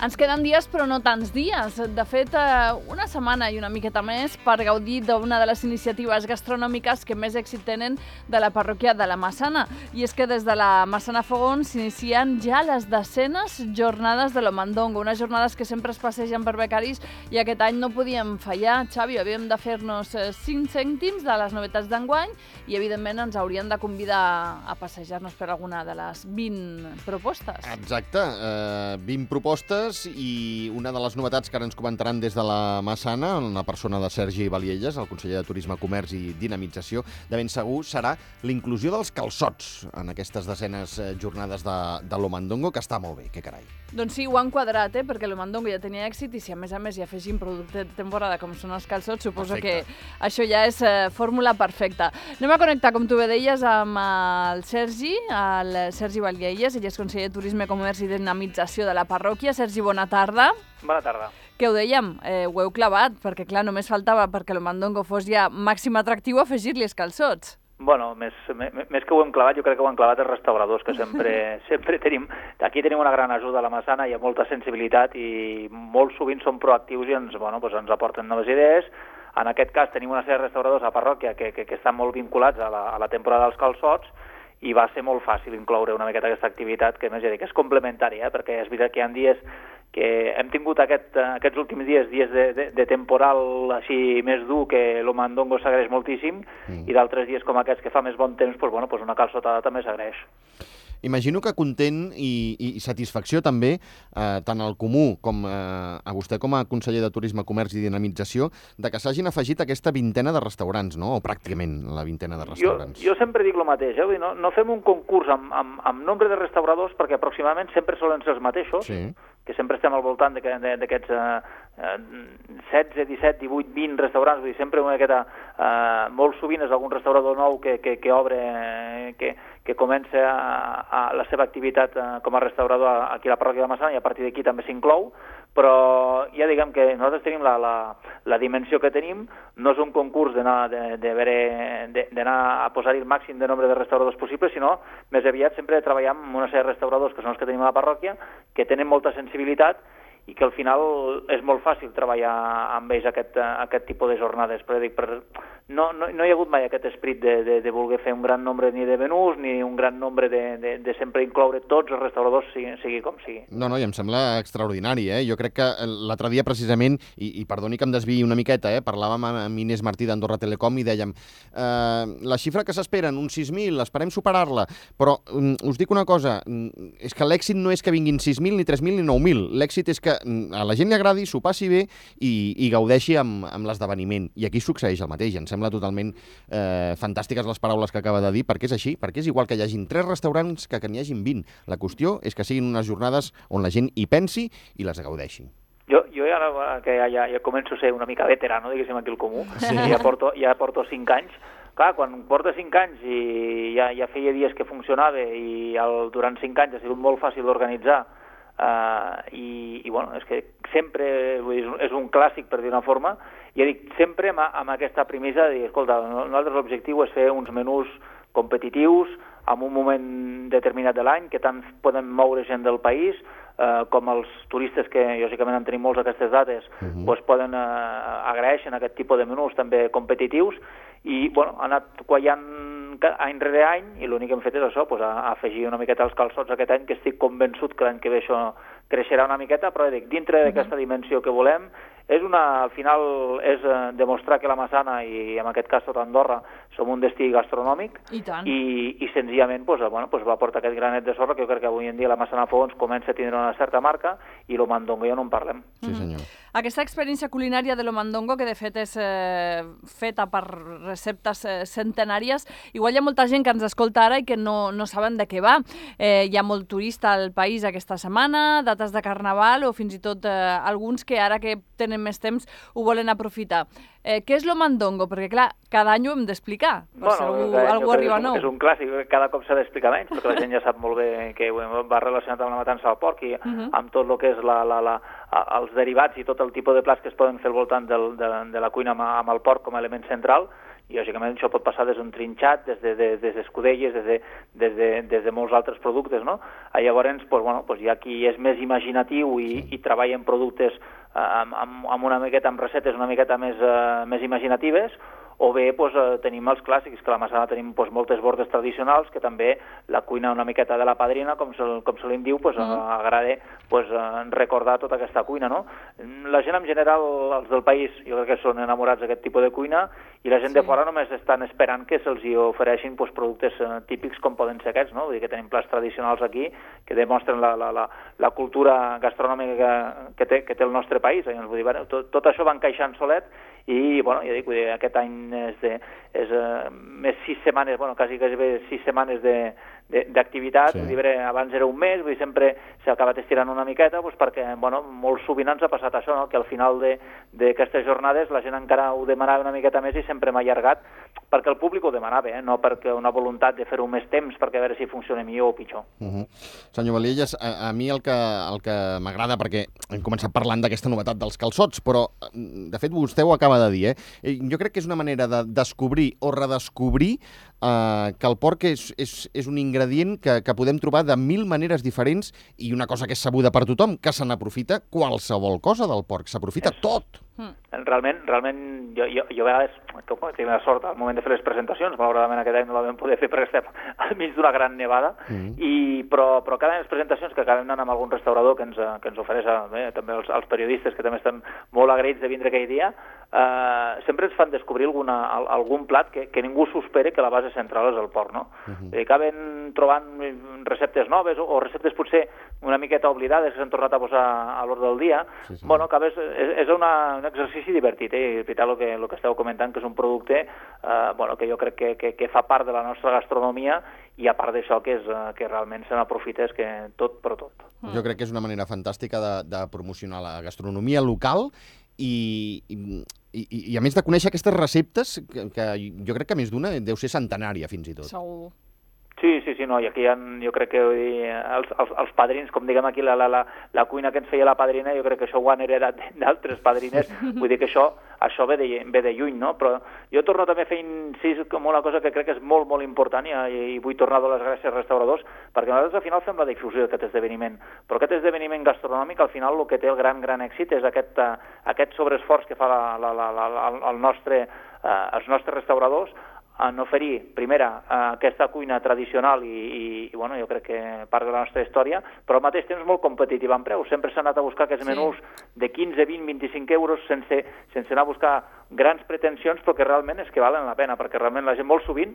Ens queden dies, però no tants dies. De fet, una setmana i una miqueta més per gaudir d'una de les iniciatives gastronòmiques que més èxit tenen de la parròquia de la Massana. I és que des de la Massana Fogons s'inicien ja les desenes jornades de l'Omandongo, unes jornades que sempre es passegen per becaris i aquest any no podíem fallar. Xavi, havíem de fer-nos 5 cèntims de les novetats d'enguany i, evidentment, ens haurien de convidar a passejar-nos per alguna de les 20 propostes. Exacte, 20 propostes i una de les novetats que ara ens comentaran des de la Massana, en la persona de Sergi Valielles, el conseller de Turisme, Comerç i Dinamització, de ben segur serà l'inclusió dels calçots en aquestes desenes jornades de l'Omandongo, que està molt bé, que carai. Doncs sí, ho han quadrat, perquè l'Omandongo ja tenia èxit i si a més hi afegim producte de temporada com són els calçots, suposo que això ja és fórmula perfecta. Anem a connectar, com tu bé deies, amb el Sergi Valielles, ell és conseller de Turisme, Comerç i Dinamització de la parròquia. Sergi, bona tarda. Bona tarda. Què ho dèiem? Ho heu clavat, perquè clar, només faltava perquè l'Omandongo fos ja màxim atractiu afegir-li els calçots. Bueno, més que ho hem clavat, jo crec que ho han clavat els restauradors, que sempre tenim... Aquí tenim una gran ajuda a la Massana, hi ha molta sensibilitat i molt sovint som proactius i ens aporten noves idees. En aquest cas tenim una sèrie de restauradors a la parròquia que estan molt vinculats a la temporada dels calçots i va ser molt fàcil incloure una miqueta aquesta activitat, que més ja dic, és complementària, perquè és veritat que hi ha dies que hem tingut aquests últims dies de temporal així més dur, que l'Omandongo s'agraeix moltíssim, i d'altres dies com aquests que fa més bon temps, una calçotada també s'agraeix. Imagino que content i satisfacció també, tant al Comú com a vostè com a conseller de Turisme, Comerç i Dinamització, de que s'hagin afegit aquesta vintena de restaurants, no? O pràcticament la vintena de restaurants. Jo sempre dic el mateix, Vull dir, no fem un concurs amb nombre de restauradors perquè aproximadament sempre solen ser els mateixos, que sempre estem al voltant d'aquests 16, 17, 18, 20 restaurants, vull dir, sempre molt sovint és algun restaurador nou que obre, que comença la seva activitat com a restaurador aquí a la parròquia de Massana i a partir d'aquí també s'inclou, però ja diguem que nosaltres tenim la dimensió que tenim, no és un concurs d'anar a posar-hi el màxim de nombre de restauradors possible, sinó més aviat sempre treballar amb una sèrie de restauradors que són els que tenim a la parròquia, que tenen molta sensibilitat i que al final és molt fàcil treballar amb ells aquest tipus de jornades. Però dic, no hi ha hagut mai aquest esperit de voler fer un gran nombre ni de menús ni un gran nombre de sempre incloure tots els restauradors, sigui com sigui. No, i em sembla extraordinari, Jo crec que l'altre dia precisament, i perdoni que em desviï una miqueta, parlàvem amb Inés Martí d'Andorra Telecom i dèiem la xifra que s'esperen, uns 6.000, esperem superar-la, però us dic una cosa, és que l'èxit no és que vinguin 6.000, ni 3.000, ni 9.000, l'èxit és que a la gent li agradi, s'ho passi bé i gaudeixi amb l'esdeveniment. I aquí succeeix el mateix. Em sembla totalment fantàstiques les paraules que acaba de dir, perquè és així, perquè és igual que hi hagin 3 restaurants que n'hi hagin 20. La qüestió és que siguin unes jornades on la gent hi pensi i les gaudeixi. Jo ara que ja començo a ser una mica veterano, diguéssim, aquí al Comú, ja porto 5 anys. Clar, quan porta 5 anys i ja feia dies que funcionava i durant 5 anys ha sigut molt fàcil d'organitzar, és que sempre és un clàssic, per dir una forma, i ja dic, sempre amb aquesta premissa de dir, escolta, nosaltres l'objectiu és fer uns menús competitius en un moment determinat de l'any, que tant poden moure gent del país com els turistes, que lògicament en tenim molts aquestes dates, poden agraeixen aquest tipus de menús també competitius, i ha anat quallant any rere any, i l'únic que hem fet és això, afegir una miqueta els calçots aquest any, que estic convençut que l'any que ve això creixerà una miqueta, però dic, dintre d'aquesta dimensió que volem, al final és demostrar que la Massana, i en aquest cas tot Andorra, som un destí gastronòmic, i senzillament va portar aquest granet de sorra, que jo crec que avui en dia la Massana Fogons comença a tindre una certa marca, i l'Omandongo ja no en parlem. Sí, senyor. Aquesta experiència culinària de l'Omandongo, que de fet és feta per receptes centenàries, igual hi ha molta gent que ens escolta ara i que no saben de què va. Hi ha molt turista al país aquesta setmana, dates de carnaval o fins i tot alguns que ara que tenen més temps ho volen aprofitar. Què és l'Omandongo? Perquè, clar, cada any ho hem d'explicar. Algú arriba nou. És un clàssic, cada cop s'ha d'explicar menys, perquè la gent ja sap molt bé que va relacionat amb la matança del porc i amb tot el que és els derivats i tot el tipus de plats que es poden fer al voltant de la cuina amb el porc com a element central. i lògicament això pot passar des d'un trinxat, des d'escudelles, des de molts altres productes, no? Llavors, hi ha qui és més imaginatiu i treballa en productes amb recetes una miqueta més imaginatives, o bé tenim els clàssics, que a la Massana tenim moltes bordes tradicionals, que també la cuina una miqueta de la padrina, com se li diu, agrada recordar tota aquesta cuina, no? La gent en general, els del país, jo crec que són enamorats d'aquest tipus de cuina, i la gent de fora només estan esperant que se'ls hi ofereixin productes típics com poden ser aquests, no? Vull dir que tenim plats tradicionals aquí que demostren la cultura gastronòmica que té el nostre país. Vull dir, tot això va encaixant solet, i ja dic, aquest any és més 6 setmanes, quasi 6 setmanes d'activitat, abans era un mes, sempre s'ha acabat estirant una miqueta, perquè molt sovint ens ha passat això, no? Que al final d'aquestes jornades la gent encara ho demanava una miqueta més i sempre m'ha allargat, perquè el públic ho demanava, no perquè una voluntat de fer-ho més temps perquè a veure si funciona millor o pitjor. Senyor Valielles, a mi el que m'agrada, perquè hem començat parlant d'aquesta novetat dels calçots, però de fet vostè ho acaba de dir, jo crec que és una manera de descobrir o redescobrir que el porc és un ingredient que podem trobar de 1000 maneres diferents, i una cosa que és sabuda per tothom, que se n'aprofita qualsevol cosa del porc, s'aprofita tot. Realment, jo a vegades tinc la sort al moment de fer les presentacions, malauradament aquest any no la vam poder fer perquè estem al mig d'una gran nevada, però cada any les presentacions que acabem anant amb algun restaurador que ens ofereix també els periodistes, que també estem molt agraïts de vindre aquell dia, sempre ens fan descobrir algun plat que ningú s'ho espera, que la base central és el porc, no? Acaben trobant receptes noves o receptes potser una miqueta oblidades que s'han tornat a posar a l'ordre del dia. És un exercici divertit, és veritat el que esteu comentant, que és un producte que jo crec que fa part de la nostra gastronomia, i a part d'això que realment se n'aprofita és que tot per tot. Jo crec que és una manera fantàstica de promocionar la gastronomia local i a més de conèixer aquestes receptes que jo crec que més d'una deu ser centenària fins i tot. Segur. Sí, no, i aquí jo crec que els padrins, com diguem aquí, la cuina que ens feia la padrina, jo crec que això ho han heredat d'altres padrines, vull dir que això ve de lluny, no? Però jo torno també a fer incís com una cosa que crec que és molt, molt important, i vull tornar a donar les gràcies als restauradors, perquè nosaltres al final fem la difusió d'aquest esdeveniment, però aquest esdeveniment gastronòmic al final el que té el gran èxit és aquest sobreesforç que fa els nostres restauradors en oferir, primera, aquesta cuina tradicional i jo crec que part de la nostra història, però al mateix temps molt competitiva en preu. Sempre s'ha anat a buscar aquests menús de 15, 20, 25 euros sense anar a buscar grans pretensions, però que realment és que valen la pena, perquè realment la gent molt sovint,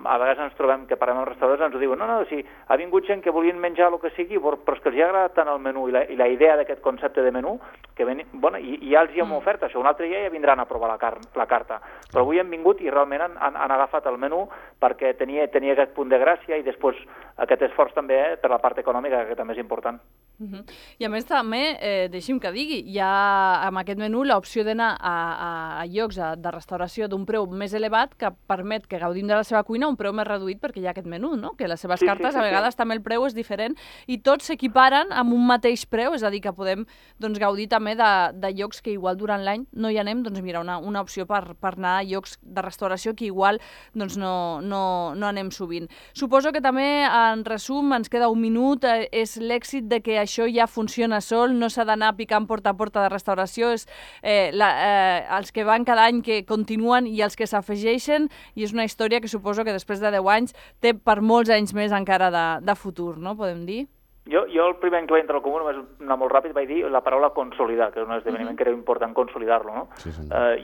a vegades ens trobem que parlem amb restaurants, ens ho diuen, no, si ha vingut gent que volien menjar el que sigui, però és que els ha agradat tant el menú i la idea d'aquest concepte de menú, que i ja els hi hem ofert això, un altre dia ja vindran a provar la carta, però avui hem vingut i realment han agafat el menú perquè tenia aquest punt de gràcia, i després aquest esforç també per la part econòmica, que també és important. I a més també, deixi'm que digui, hi ha amb aquest menú l'opció d'anar a llocs de restauració d'un preu més elevat que permet que gaudim de la seva cuina a un preu més reduït, perquè hi ha aquest menú, no? Que les seves cartes a vegades també el preu és diferent i tots s'equiparen amb un mateix preu, és a dir, que podem gaudir també de llocs que igual durant l'any no hi anem, doncs mira, una opció per anar a llocs de restauració que igual no anem sovint. Suposo que també, en resum, ens queda un minut, és l'èxit de que això ja funciona sol, no s'ha d'anar picant porta a porta de restauració, és els que van cada any que continuen i els que s'afegeixen, i és una història que suposo que després de 10 anys té per molts anys més encara de futur, no? Podem dir? Jo el primer any que vaig entrar al comú, només anar molt ràpid, vaig dir la paraula consolidar, que és un esdeveniment que era important consolidar-lo, no?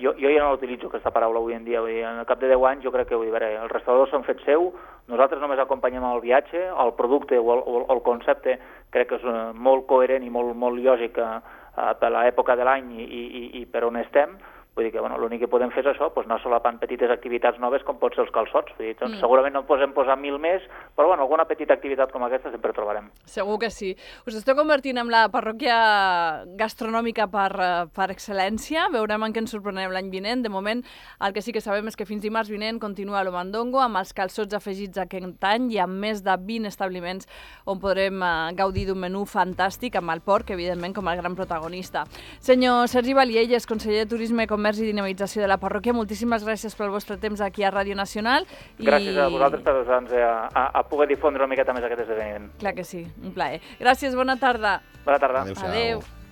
Jo ja no utilitzo aquesta paraula avui en dia, vull dir, al cap de 10 anys jo crec que els restauradors s'han fet seu, nosaltres només acompanyem el viatge, el producte o el concepte crec que és molt coherent i molt lògic per l'època de l'any i per on estem. Vull dir que l'únic que podem fer és això, anar solapant petites activitats noves com pot ser els calçots. Vull dir, segurament no podem posar 1000 més, però alguna petita activitat com aquesta sempre trobarem. Segur que sí. Us esteu convertint en la parròquia gastronòmica per excel·lència. Veurem en què ens sorprenem l'any vinent. De moment, el que sí que sabem és que fins dimarts vinent continua l'Omandongo amb els calçots afegits aquest any i amb més de 20 establiments on podrem gaudir d'un menú fantàstic amb el porc, evidentment, com el gran protagonista. Senyor Sergi Valielles, conseller de Turisme i Comerç comerç i dinamització de la parròquia. Moltíssimes gràcies pel vostre temps aquí a Ràdio Nacional. Gràcies a vosaltres per ajudar-nos a poder difondre una miqueta més aquest esdeveniment. Clar que sí, un plaer. Gràcies, bona tarda. Bona tarda. Adéu-siau. Adéu.